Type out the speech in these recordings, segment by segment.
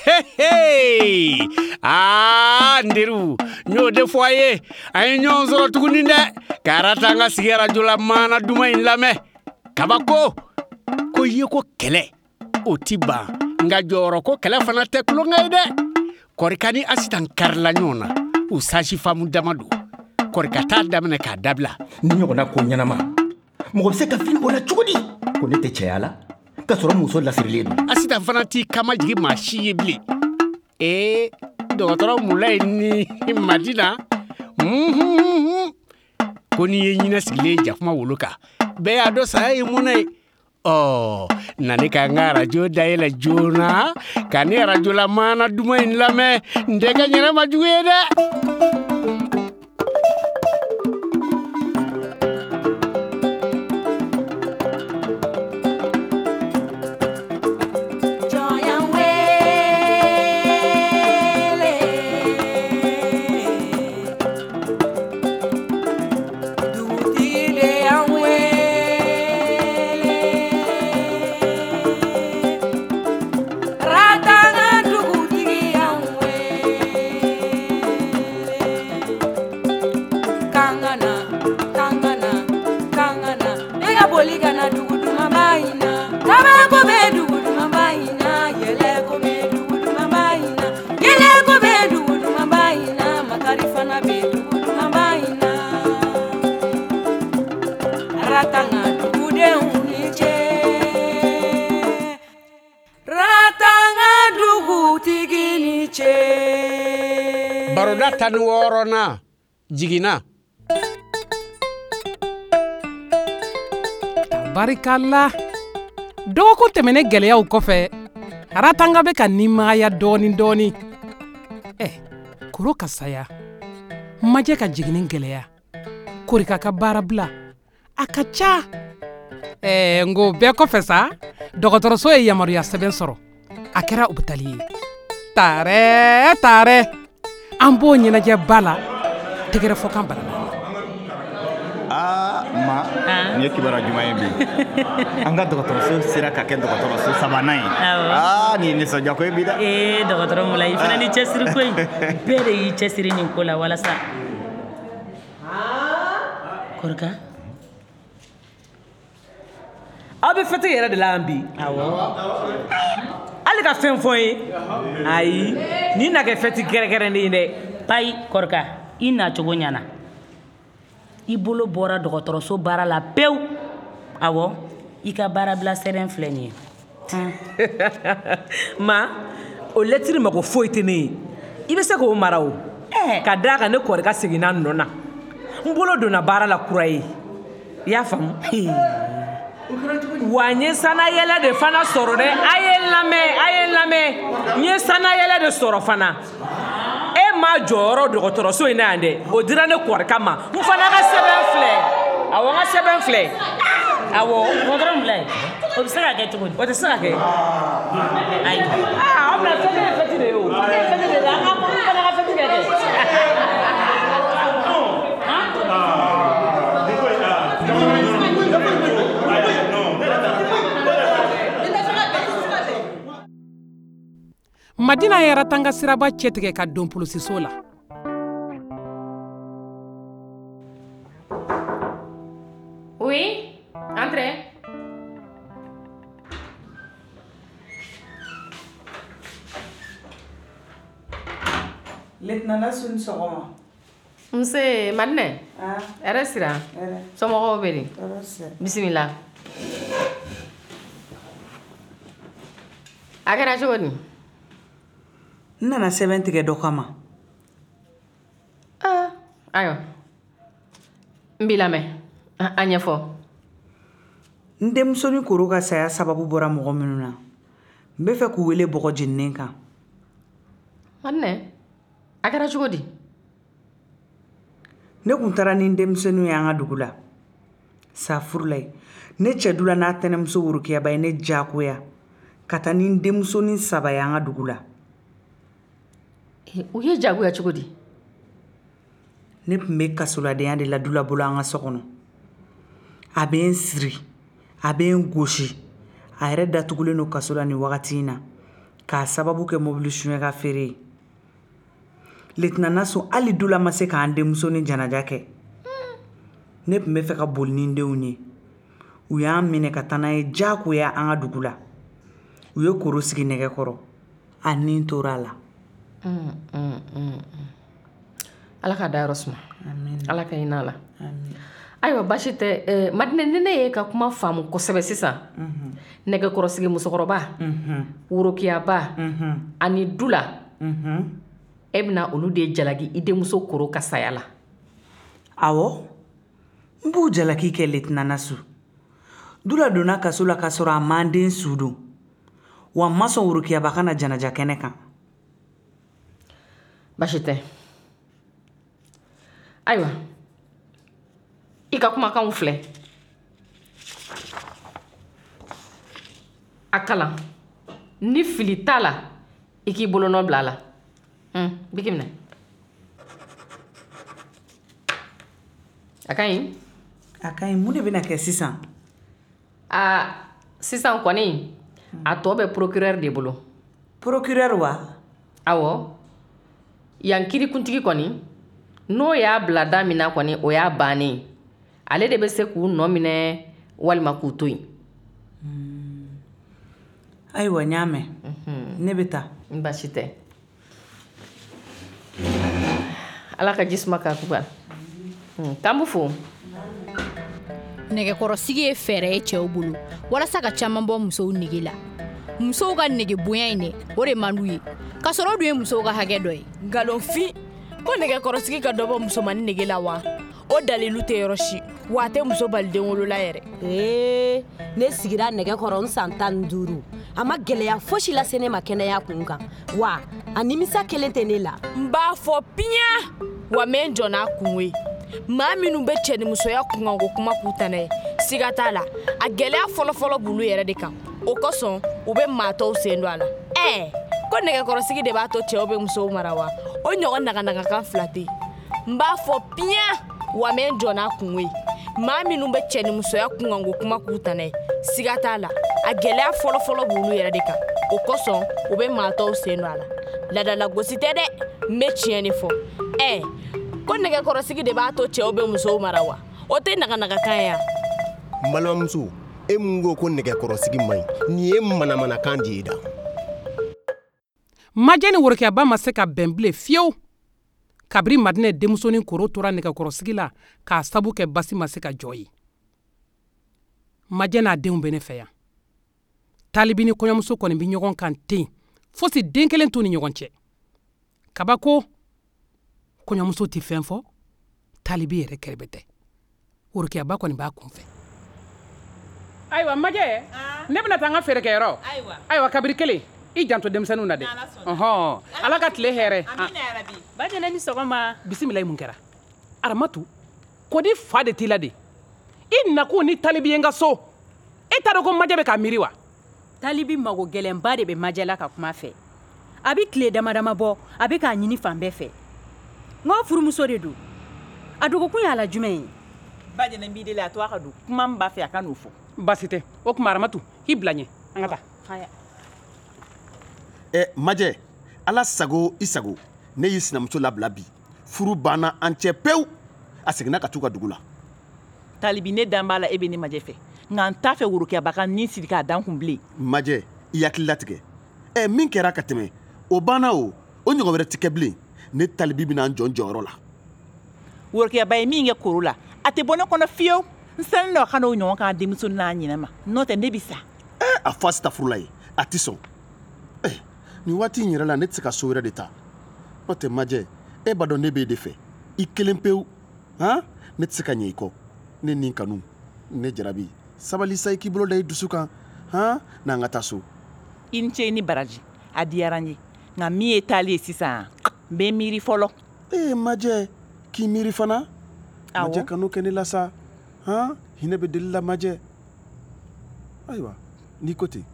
Hey! Aa n teriw, n y'o de fɔ a ye, an ye ɲɔgɔn sɔrɔ tuguni dɛ, ka Aratanga sigi arajo la maana duman in lamɛn. Kabako, ko ye ko kɛlɛ, o ti ban, nka jɔyɔrɔ ko kɛlɛ fana tɛ tulonkɛ ye dɛ. Kɔrika ni Asitan karila ɲɔgɔn na, u sasifamu dama don. Kɔrika t'a daminɛ k'a dabila. Ni ɲɔgɔnna ko ɲɛnama, mɔgɔ bɛ se ka fili o la cogo di? Ko ne tɛ cɛya la, k'a sɔrɔ muso lasirilen don. Asitan fana t'i kamajigin maa si ye bilen. Ee, dɔgɔtɔrɔ Mulayi ni Madina, ko n'i ye ɲinɛ sigilen jakuma wolo kan, bɛɛ y'a dɔn saya ye mɔnɛ ye. Ɔ, na ne ka n ka arajo dayɛlɛ joona, ka ne arajola maana duman in lamɛn, n tɛ kɛ ɲɛnɛ ma jugu ye dɛ. Baroda 16nan jiginna. Barikala, dɔgɔkun tɛmɛnen gɛlɛyaw kɔfɛ, Aratanga bɛ ka nimaya dɔɔni dɔɔni. Ɛ, koro ka saya, majɛ ka jiginni gɛlɛya, Korika ka baara bila, a ka ca. Ɛ, n ko bɛɛ kɔfɛ sa, dɔgɔtɔrɔso ye yamaruya sɛbɛn sɔrɔ. A kɛra hôpital ye. Taarɛ, taarɛ, an b'o ɲɛnajɛba la, tɛgɛrɛ fɔkan bala. Aa ma, nin ye kibaruya ɲuman ye bi. An ka dɔgɔtɔrɔso sera ka kɛ dɔgɔtɔrɔso sabanan ye. Aa nin ye nisɔndiya ko ye bi dɛ. Ee dɔgɔtɔrɔ Mulayi, i fana ni cɛsiri ko in. Bɛɛ de y'i cɛsiri nin ko la walasa. Korika. Aw bɛ fɛti yɛrɛ de la yan bi. Awɔ. Hali ka fɛn fɔ n ye. Ayi, nin na kɛ fɛti kɛrɛnkɛrɛnnen ye dɛ. Payi, Korika, i nacogo ɲɛna. I bolo bɔra dɔgɔtɔrɔso baara la pewu. Awɔ, i ka baarabila sɛbɛn filɛ nin ye. Ma, o lɛtiri mago foyi tɛ ne ye. I bɛ se k'o mara o. Ka d'a kan ne Korika seginna n nɔ na. N bolo donna baara la kura ye. I y'a faamu? Wa n ye sanayɛlɛ de fana sɔrɔ dɛ. A ye n lamɛn, a ye n lamɛn. N ye sanayɛlɛ de sɔrɔ fana. E ma jɔyɔrɔ dɔgɔtɔrɔso in na yan dɛ, o dira ne Korika ma. N fana ka sɛbɛn filɛ. Awɔ, n ka sɛbɛn filɛ. Awɔ. Dɔgɔtɔrɔ Mulayi, o bɛ se ka kɛ cogo di? O tɛ se ka kɛ. Ayi. Aa, aw bɛna fɛti ye fɛti de ye o. Fɛti ye fɛti de ye. An ka n fana ka fɛti kɛ kɛ. Madina ye Aratanga siraba cɛtigɛ ka don polisiso la. Oui, entrez. Lieutenant Lasu ni sɔgɔma. Nse Madinɛ. Hɛrɛ sira. Somɔgɔw bɛ di? Bisimila. A kɛra cogo di? N nana sɛbɛn tigɛ dɔ kama. Aa, ayiwa. N b'i lamɛn. A ɲɛfɔ. N denmusonin Koro ka saya sababu bɔra mɔgɔ minnu na. N bɛ fɛ k'u wele bɔgɔ jeninen kan. Madinɛ, a kɛra cogo di? Ne kun taara ni n denmisɛnninw ye an ka dugu la. Safurulayi, ne cɛ dula n'a tɛnɛmuso worokiyaba ye ne diyagoya ka taa ni n denmusonin 3 ye an ka dugu la. U ye jagoya cogo di? Ne tun bɛ kasoladenya de la dula bolo an ka so kɔnɔ. A bɛ n siri, a bɛ n gosi. A yɛrɛ datugulen don kaso la nin wagati in na. K'a sababu kɛ mobili suɲɛ ka feere ye. Lieutenant Nasu, hali Dula ma se k'an denmusonin janaja kɛ. Ne tun bɛ fɛ ka boli ni n denw ye. U y'an minɛ ka taa n'an ye diyagoya an ka dugu la. U ye koro sigi nɛgɛ kɔrɔ. A ni tora a la. Ala k'a dayɔrɔ suma. Ala ka hinɛ a la. Ayiwa, baasi tɛ. Madinɛ, ni ne ye ka kuma faamu kosɛbɛ sisan, nɛgɛkɔrɔsigi musokɔrɔba, worokiyaba ani Dula, e bɛna olu de jalaki i denmuso Koro ka saya la. Awɔ, n b'u jalaki kɛ, Lieutenant Nasu. Dula donna kaso la k'a sɔrɔ a m'an den su don. Wa n ma sɔn worokiyaba ka na janaja kɛnɛ kan. Baasi tɛ. Ayiwa, i ka kumakanw filɛ, a kalan, ni fili t'a la, i k'i bolonɔ bila a la. Biki minɛ, a ka ɲi. A ka ɲi. Mun de bɛna kɛ sisan? Aa, sisan kɔni, a tɔ bɛ procureur de bolo. Procureur wa? Awɔ, yan kirikuntigi kɔni, n'o y'a bila da min na kɔni, o y'a bannen ye. Ale de bɛ se k'u nɔ minɛ walima k'u to yen. Ayiwa, n y'a mɛn. Ne bɛ taa. N baasi tɛ. Ala ka ji suma k'a kuba. K'an b'u fo. Nɛgɛkɔrɔsigi ye fɛɛrɛ ye cɛw bolo walasa ka caman bɔ musow nege la. Musow ka nege bonya in dɛ, o de man d'u ye, k'a sɔrɔ o dun ye musow ka hakɛ dɔ ye. Nkalonfin ko nɛgɛkɔrɔsigi ka dɔ bɔ musomannin nege la wa? O dalilu tɛ yɔrɔ si, wa a tɛ muso bali den wolola yɛrɛ. Ee, ne sigira nɛgɛ kɔrɔ n san 15, a ma gɛlɛya fosi lase ne ma kɛnɛya kun kan, wa a nimisa kelen tɛ ne la. N b'a fɔ piɲa, wa n bɛ n jɔ n'a kungo ye. Maa minnu bɛ cɛnimusoya kunkanko kuma k'u tana ye, siga t'a la, a gɛlɛya fɔlɔfɔlɔ b'olu yɛrɛ de kan. O kosɔn u bɛ maa tɔw sen don a la. Ɛɛ, ko nɛgɛkɔrɔsigi de b'a to cɛw bɛ musow mara wa? O ɲɔgɔn naganagakan fila tɛ yen. N b'a fɔ piɲa, wa n bɛ n jɔ n'a kungo ye. Maa minnu bɛ cɛnimusoya kunkanko kuma k'u tana ye, siga t'a la, a gɛlɛya fɔlɔfɔlɔ b'olu yɛrɛ de kan. O kosɔn u bɛ maa tɔw sen don a la. Ladalagosi tɛ dɛ, n bɛ tiɲɛ de fɔ. Ɛɛ, ko nɛgɛkɔrɔsigi de b'a to cɛw bɛ musow mara wa? O tɛ naganagakan ye wa? N balimamuso, e mun ko ko nɛgɛkɔrɔsigi man ɲi, nin ye manamanakan de ye da. Majɛ ni worokiyaba ma se ka bɛn bilen fiyewu kabiri Madinɛ denmusonin Koro tora nɛgɛkɔrɔsigi la k'a sabu kɛ basi ma se ka jɔ ye. Majɛ n'a denw bɛ ne fɛ yan. Talibi ni kɔɲɔmuso kɔni bɛ ɲɔgɔn kan ten, fosi den kelen t'u ni ɲɔgɔn cɛ. Kabako, kɔɲɔmuso tɛ fɛn fɔ, Talibi yɛrɛ kɛrɛbɛ tɛ. Worokiyaba kɔni b'a kun fɛ. Ayiwa Majɛ, ne bɛna taa n ka feerekɛyɔrɔ. Ayiwa, kabiri kelen, i janto denmisɛnninw na dɛ. Ɔhɔn, Ala ka tile hɛrɛ. Bajɛnɛ, ni sɔgɔma. Bisimila. Mun kɛra? Aramatu, kɔdi fa de t'i la de? I nakun ni Talibi ye n ka so, e t'a dɔn ko Majɛ bɛ k'a miiri wa? Talibi mago gɛlɛnba de bɛ Majɛ la ka kuma fɛ. A bɛ tile dama dama bɔ, a bɛ k'a ɲini fan bɛɛ fɛ. N ko furumuso de don, a dogokun y'a la jumɛn ye? Bajɛnɛ, n b'i deli, a to a ka don. Kuma min b'a fɛ, a ka n'o fɔ. Baasi tɛ. O tuma Aramatu, i bila ɲɛ, an ka taa. Ɛ Majɛ, Ala sago i sago, ne y'i sinamuso labila bi. Furu banna an cɛ pewu. A seginna ka t'u ka dugu la. Talibi, ne dan b'a la e bɛ ne Majɛ fɛ, nka n t'a fɛ worokiyaba ka nin siri k'a dan kun bilen. Majɛ, i hakili latigɛ. Ɛ, min kɛra ka tɛmɛ, o banna. O ɲɔgɔn wɛrɛ tɛ kɛ bilen. Ne Talibi bɛna n jɔ n jɔyɔrɔ la. Worokiyaba ye min kɛ Koro la, a tɛ bɔ ne kɔnɔ fiyewu. N sirannen don a ka n'o ɲɔgɔn k'an denmuso n'a ɲinɛ ma, n'o tɛ ne bɛ sa. Ɛ, a fɔ asitafurula ye, a tɛ sɔn. Ɛ, nin waati in yɛrɛ la, ne tɛ se ka so wɛrɛ de ta. N'o tɛ Majɛ, e b'a dɔn ne b'e de fɛ i kelen pewu. Han, ne tɛ se ka ɲɛ i kɔ. Ne ni kanu, ne jarabi, sabali sa, i k'i bolo da i dusu kan. Han, n'an ka taa so. I ni ce, i ni baraji, a diyara n ye, nka min ye taali ye sisan, n bɛ miiri fɔlɔ. Ee Majɛ, k'i miiri fana? Majɛ, kan'o kɛ ne la sa. Han, hinɛ bɛ deli la Majɛ. Ayiwa, n'i ko ten.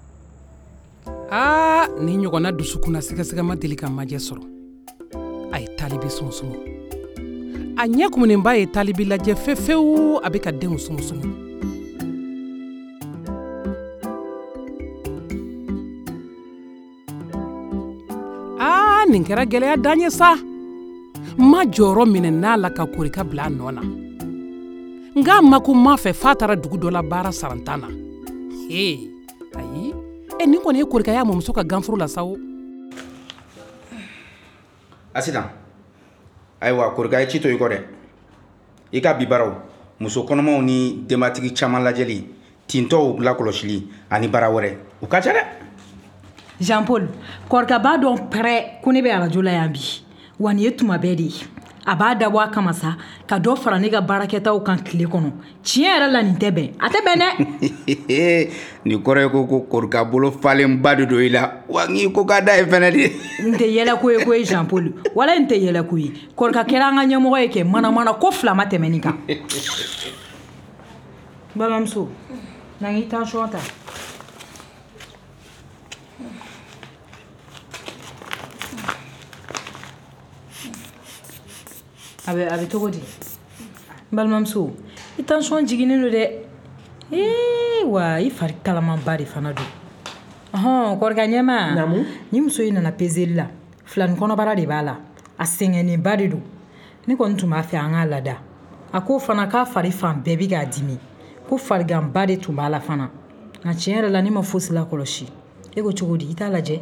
Aa, nin ɲɔgɔnna dusukunna sɛgɛsɛgɛ ma deli ka Majɛ sɔrɔ. A ye Talibi sumusumu. A ɲɛ kumunenba ye Talibi lajɛ fefewu, a bɛ ka denw sumusumu. Nin kɛra gɛlɛya dan ye sa. Ma jɔyɔrɔ minɛ n'a la ka Korika bila a nɔ na. Nka ma ko ma fɛ f'a taara dugu dɔ la baara sarantan na. Ee, ayi, e nin kɔni ye Korika y'a mɔmuso ka ganforo la sa o. Asitan, ayiwa Korika ye ci to i kɔ dɛ. I ka bi baaraw, muso kɔnɔmaw ni denbatigi caman lajɛli, tintɔw lakɔlɔsili ani baara wɛrɛ, o ka ca dɛ. Jean Paul, Korika b'a dɔn pɛrɛ ko ne bɛ arajo la yan bi. Wa nin ye tuma bɛɛ de ye. A b'a dabɔ a kama sa ka dɔ fara ne ka baarakɛtaw kan tile kɔnɔ. Tiɲɛ yɛrɛ la nin tɛ bɛn. A tɛ bɛn dɛ. Nin kɔrɔ ye ko Korika bolo falenba de don i la. Wa n'i ko k'a da ye fɛnɛ de. N tɛ yɛlɛko ye koyi Jean Paul. Wala n tɛ yɛlɛko ye. Korika kɛra an ka ɲɛmɔgɔ ye kɛ manamana ko fila ma tɛmɛ nin kan. Balimamuso, na n k'i tension ta. A bɛ cogo di? N balimamuso, i tension jiginnen don dɛ. Ee wa i fari kalamanba de fana don. Ɔhɔn, Korika ɲɛma. Naamu. Ni muso in nana peseli la, filani kɔnɔbara de b'a la. A sɛgɛnnenba de don. Ne kɔni tun b'a fɛ an k'a lada. A ko fana k'a fari fan bɛɛ bɛ k'a dimi. Ko fariganba de tun b'a la fana. Nka tiɲɛ yɛrɛ la ne ma fosi lakɔlɔsi. E ko cogo di? I t'a lajɛ?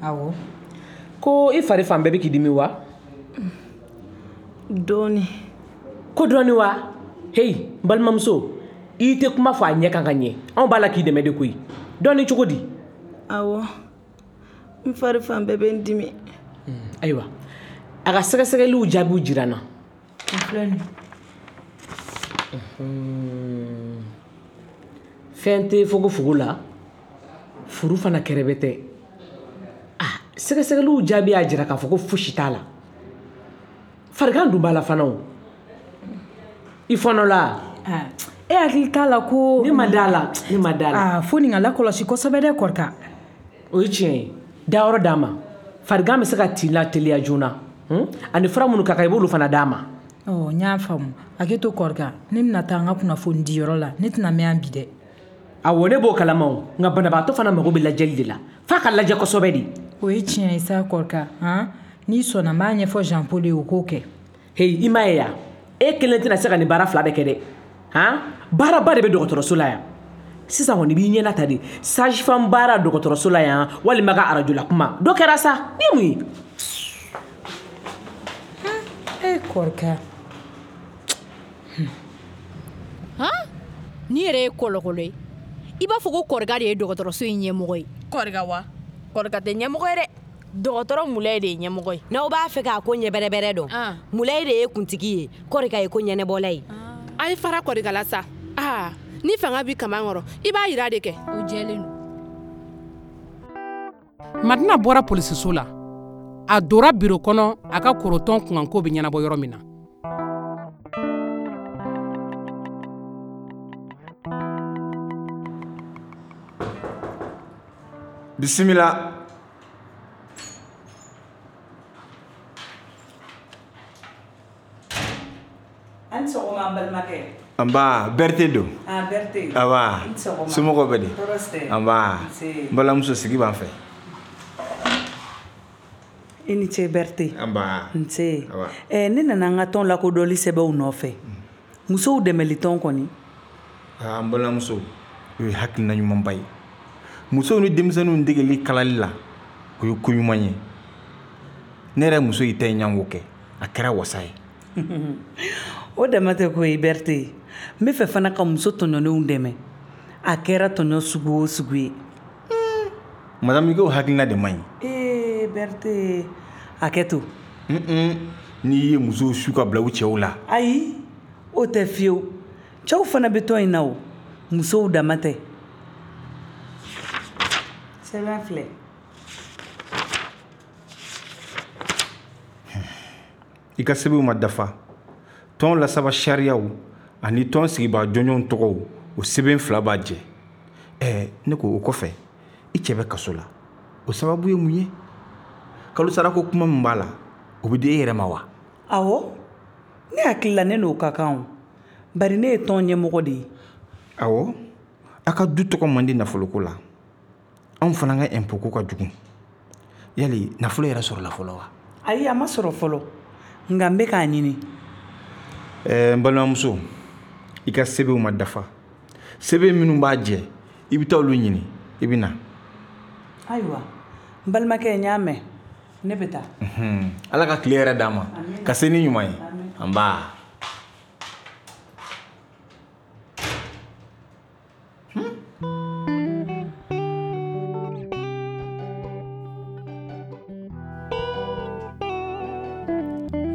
Awɔ. Ko i fari fan bɛɛ bɛ k'i dimi wa? Dɔɔni. Ko dɔɔni wa? Heyi, n balimamuso, i tɛ kuma fɔ a ɲɛ kan ka ɲɛ. Anw b'a la k'i dɛmɛ de koyi. Dɔɔni cogo di? Awɔ. N fari fan bɛɛ bɛ n dimi. Ayiwa, a ka sɛgɛsɛgɛliw jaabiw jira n na. O filɛ nin ye. Fɛn tɛ fogofogo la, furu fana kɛrɛbɛ tɛ. Ah, sɛgɛsɛgɛliw jaabi y'a jira k'a fɔ ko fosi t'a la. Farigan dun b'a la fana o. I fɔnɔ la? E hakili t'a la ko. Ne ma d'a la, ne ma d'a la. Aa, fo nin ka lakɔlɔsi kosɛbɛ dɛ Korika. O ye tiɲɛ ye. Dayɔrɔ d'a ma. Farigan bɛ se ka tin lateliya joona. Ani fura minnu ka kan i b'olu fana d'a ma. Ɔ, n y'a faamu. Hakɛ to Korika, ne bɛna taa n ka kunnafoni di yɔrɔ la. Ne tɛna mɛn yan bi dɛ. Awɔ, ne b'o kalama o. Nka banabaatɔ fana mago bɛ lajɛli de la. F'a ka lajɛ kosɛbɛ de. O ye tiɲɛ ye sa Korika. Han? N'i sɔnna n b'a ɲɛfɔ Jean Paul ye o k'o kɛ. Heyi, i m'a ye yan. E kelen tɛna se ka nin baara fila bɛɛ kɛ dɛ. Han? Baaraba de bɛ dɔgɔtɔrɔso la yan. Sisan kɔni i b'i ɲɛna ta de. Sage femme baara dɔgɔtɔrɔso la yan walima ka arajo la kuma. Dɔ kɛra sa. Ni ye mun ye? E Korika. Han? Ni yɛrɛ ye kɔlɔkɔlɔ ye. I b'a fɔ ko Korika de ye dɔgɔtɔrɔso in ɲɛmɔgɔ ye. Korika wa? Korika tɛ ɲɛmɔgɔ ye dɛ. Dɔgɔtɔrɔ Mulayi de ye ɲɛmɔgɔ ye. N'aw b'a fɛ k'a ko ɲɛ bɛrɛbɛrɛ dɔn, Mulayi de ye kuntigi ye, Korika ye ko ɲɛnɛbɔla ye. A ye fara Korika la sa. Aa, ni fanga b'i kaman kɔrɔ, i b'a yira de kɛ. O jɛlen don. Madina bɔra polisiso la. A dora biro kɔnɔ a ka korotɔn kunkanko bɛ ɲɛnabɔ yɔrɔ min na. Bisimila. An sɔgɔma n balimakɛ. Nba, Berete don. Ah, Berete. Aba. I ni sɔgɔma. Somɔgɔw bɛ di? Tɔɔrɔ si tɛ. Nba. Nse. N balimamuso sigi b'an fɛ. I ni ce Berete. Nba. Nse. Aba. Ne nana an ka tɔn lakodɔnli sɛbɛnw nɔfɛ. Musow dɛmɛli tɔn kɔni. Ah, n balimamuso, o ye hakilina ɲumanba ye. Musow ni denmisɛnninw degeli kalali la, o ye ko ɲuman ye. Ne yɛrɛ muso y'i ta in ɲango kɛ, a kɛra wasa ye. O dama tɛ ko ye Berete. N bɛ fɛ fana ka muso tɔɲɔnenw dɛmɛ. A kɛra tɔɲɔ sugu o sugu ye. Madame, i k'o hakilina de man ɲi. Ee Berete, hakɛ to. N'i ye musow su ka bila u cɛw la. Ayi, o tɛ fiyewu. Cɛw fana bɛ tɔn in na o. Musow dama tɛ. Sɛbɛn filɛ. I ka sɛbɛnw ma dafa. Tɔn lasaba sariyaw ani tɔn sigibaa jɔnjɔnw tɔgɔw, o sɛbɛn fila b'a jɛ. Ne ko o kɔfɛ, i cɛ bɛ kaso la. O sababu ye mun ye? Kalo sarako kuma min b'a la, o bɛ di e yɛrɛ ma wa? Awɔ, ne hakili la ne n'o ka kan o. Bari ne ye tɔn ɲɛmɔgɔ de ye. Awɔ, a ka du tɔgɔ man di nafoloko la. Anw fana ka impôt ko ka jugu. Yali nafolo yɛrɛ sɔrɔla fɔlɔ wa? Ayi, a ma sɔrɔ fɔlɔ, nka n bɛ k'a ɲini. N balimamuso, i ka sɛbɛnw ma dafa. Sɛbɛn minnu b'a jɛ, i bɛ taa olu ɲini, i bɛ na. Ayiwa, n balimakɛ, n y'a mɛn, ne bɛ taa. Ala ka tile yɛrɛ d'an ma, ka se ni ɲuman ye. Nba.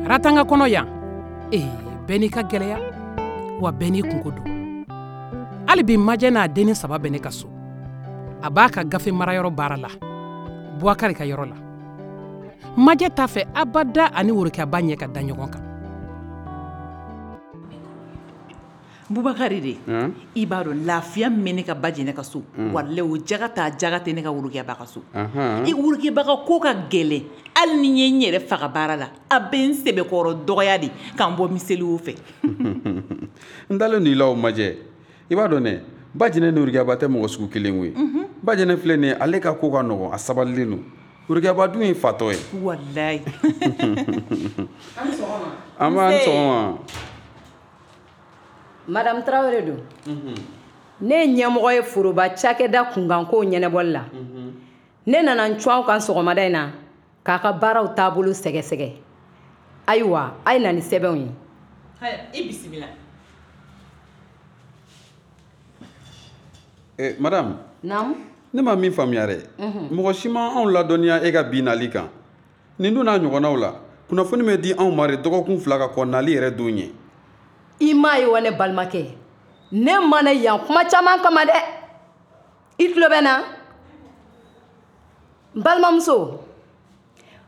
Ratanga kɔnɔ yan, ee, bɛɛ n'i ka gɛlɛya, wa bɛɛ n'i kunko don. Hali bi Majɛ n'a dennin 3 bɛ ne ka so. A b'a ka gafe marayɔrɔ baara la, Buwakari ka yɔrɔ la. Majɛ t'a fɛ abada ani Worokiyaba ɲɛ ka da ɲɔgɔn kan. Bubakari de, i b'a dɔn lafiya min bɛ ne ka ba jɛnɛ ka so, walahi o jaga t'a jaga tɛ ne ka Worokiyaba ka so. I Worokiyaba ka ko ka gɛlɛn, hali ni n ye n yɛrɛ faga baara la, a bɛ n sɛbɛkɔrɔ dɔgɔya de k'an bɔ miseliw fɛ. N dalen don i la o Majɛ. I b'a dɔn dɛ, ba jɛnɛ ni Worokiyaba tɛ mɔgɔ sugu kelen ye. Ba jɛnɛ filɛ nin ye, ale ka ko ka nɔgɔn, a sabalilen don. Worokiyaba dun ye fatɔ ye. Walayi. An b'an sɔgɔma. Madame Traoré don. Ne ye ɲɛmɔgɔ ye foroba cakɛda kunkankow ɲɛnabɔli la. Ne nana n cun aw kan sɔgɔmada in na k'a ka baaraw taabolo sɛgɛsɛgɛ. Ayiwa, a ye na ni sɛbɛnw ye. Haya, i bisimila. Madame. Naamu. Ne ma min faamuya dɛ. Mɔgɔ si ma anw ladɔnniya e ka bi nali kan. Nin dun n'a ɲɔgɔnnaw la, kunnafoni bɛ di anw ma de dɔgɔkun 2 ka kɔn nali yɛrɛ don ɲɛ. I m'a ye wa ne balimakɛ, ne ma na yan kuma caman kama dɛ. I tulo bɛ n na? N balimamuso,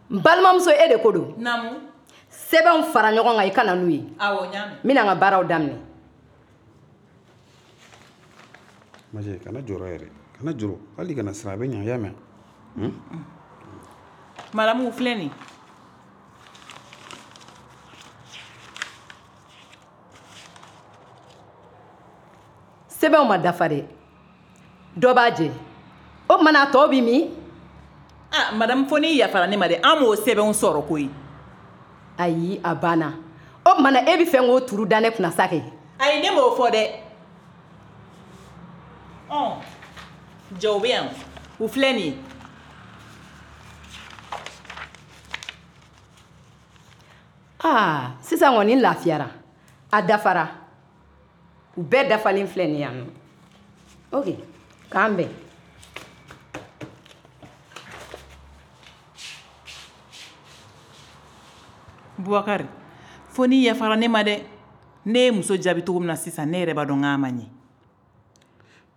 n balimamuso, e de ko don. Naamu. Sɛbɛnw fara ɲɔgɔn kan, i ka na n'u ye. Awɔ, n y'a mɛn. N bɛna n ka baaraw daminɛ. Majɛ, kana jɔrɔ yɛrɛ, kana jɔrɔ, hali kana siran, a bɛ ɲɛ, i y'a mɛn? Madamu, filɛ nin. Sɛbɛnw ma dafa dɛ, dɔ b'a jɛ. O tuma na a tɔ bɛ min? Ah, madame, fo n'i yafara ne ma dɛ, an m'o sɛbɛnw sɔrɔ koyi. Ayi, a banna. O tuma na e bɛ fɛ k'o turu da ne kunna sa kɛ? Ayi, ne m'o fɔ dɛ. Ɔ, jɔ, u bɛ yan, u filɛ nin ye. Aa, sisan kɔni n lafiyara, a dafara. U bɛɛ dafalen filɛ nin yan nɔ. Ok, k'an bɛn. Bubakari, fo n'i yafara ne ma dɛ. Ne ye muso jaabi cogo min na sisan, ne yɛrɛ b'a dɔn k'a ma ɲɛ.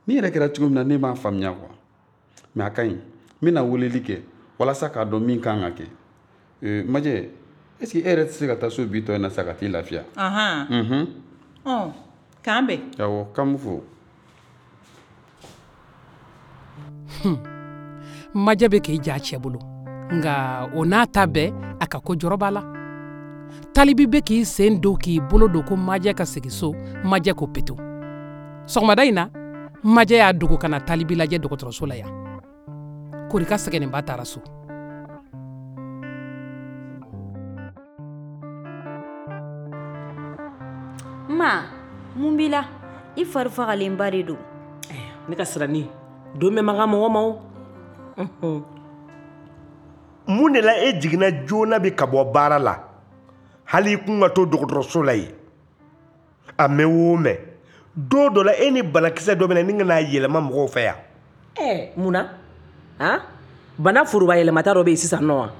Ni yɛrɛ kɛra cogo min na, ne m'a faamuya quoi. Mais a ka ɲi, n bɛna weleli kɛ walasa k'a dɔn min kan ka kɛ. Majɛ, est ce que e yɛrɛ tɛ se ka taa so bi tɔ in na sa ka t'i lafiya? Ahan. Ɔ, k'an bɛn. Awɔ, k'an b'u fo. Majɛ bɛ k'i ja cɛ bolo, nka o n'a ta bɛɛ, a ka ko jɔrɔ b'a la. Talibi bɛ k'i sen don k'i bolo don ko Majɛ ka segin so, Majɛ ko peto. Sɔgɔmada in na, Majɛ y'a dogo ka na Talibi lajɛ dɔgɔtɔrɔso la yan. Korika sɛgɛnnenba taara so. Ma, mun b'i la? I fari fagalenba de don. Ne ka sirani, don bɛ man kan mɔgɔ ma o. Mun de la e jiginna joona bi ka bɔ baara la? Hali i kun ka to dɔgɔtɔrɔso la yen. A mɛn o mɛn, don dɔ la e ni banakisɛ dɔ bɛ na ni ka n'a yɛlɛma mɔgɔw fɛ yan. Mun na? Han? Bana foroba yɛlɛmata dɔ bɛ yen sisan nɔ wa?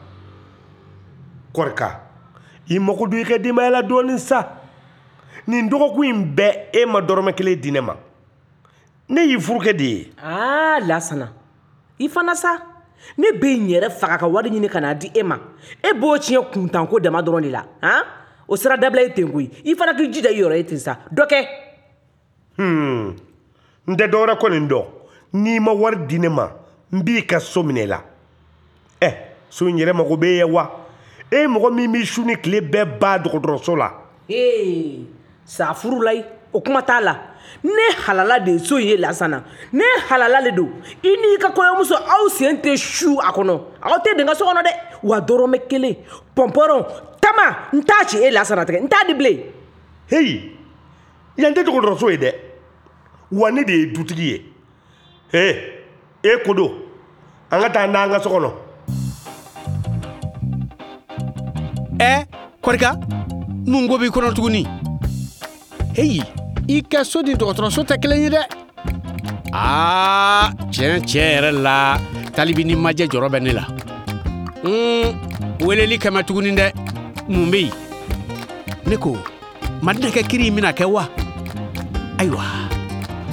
Kɔrika, i mako don i ka denbaya la dɔɔnin sa. Nin dɔgɔkun in bɛɛ e ma dɔrɔmɛ kelen di ne ma. Ne y'i furukɛ de ye. Aa, Lasana, i fana sa. Ne bɛ n yɛrɛ faga ka wari ɲini ka n'a di e ma. E b'o tiɲɛ kuntanko dama dɔrɔn de la. Han? O sira dabila ye ten koyi. I fana k'i jija i yɛrɛ ye ten sa. Dɔ kɛ. N tɛ dɔwɛrɛ kɔni dɔn. N'i ma wari di ne ma, n b'i ka so minɛ i la. So in yɛrɛ mago b'e ye wa? E mɔgɔ min b'i su ni tile bɛɛ ba dɔgɔtɔrɔso la. Ee, sa furu la ye, o kuma t'a la. Ne halala de ye so in ye Lasana. Ne halala de don. I n'i ka kɔɲɔmuso aw sen tɛ su a kɔnɔ. Aw tɛ don n ka so kɔnɔ dɛ. Wa dɔrɔmɛ kelen pɔnpɔrɔn tama n t'a ci e Lasana tɛgɛ n t'a di bilen. Heyi, yan tɛ dɔgɔtɔrɔso ye dɛ. Wa ne de ye dutigi ye. He, e kodo, an ka taa n'an ka so kɔnɔ. Ɛ Kɔrika, mun ko b'i kɔnɔ tuguni? Heyi, i ka so ni dɔgɔtɔrɔso tɛ kelen ye dɛ. Aa, tiɲɛ tiɲɛ yɛrɛ la, Talibi ni Majɛ jɔrɔ bɛ ne la. Weleli kɛmɛ tuguni dɛ. Mun bɛ yen? Ne ko, Madinɛ kɛ kiri in bɛna kɛ wa? Ayiwa,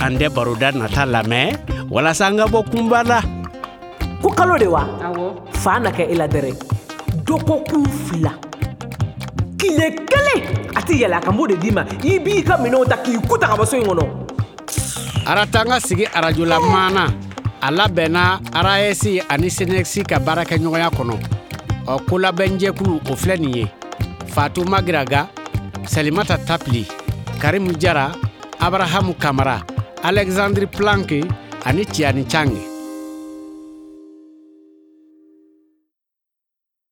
an tɛ baroda nata lamɛn walasa an ka bɔ kunba la. Ko kalo de wa? Fa na kɛ e la dɛrɛ. Dɔgɔkun 2. Tile kelen a tɛ yɛlɛ a kan, n b'o de d'i ma. I b'i ka minɛnw ta k'i ku ta ka bɔ so in kɔnɔ. Aratanga sigi arajola maana a labɛnna RAS ani SYNECS ka baarakɛɲɔgɔnya kɔnɔ. Ɔ kolabɛnjɛkulu o filɛ nin ye: Fatou Magiraga, Salimata Tapili, Karimu Jara, Abrahamu Kamara, Alexandre Planck ani Tiani Chang.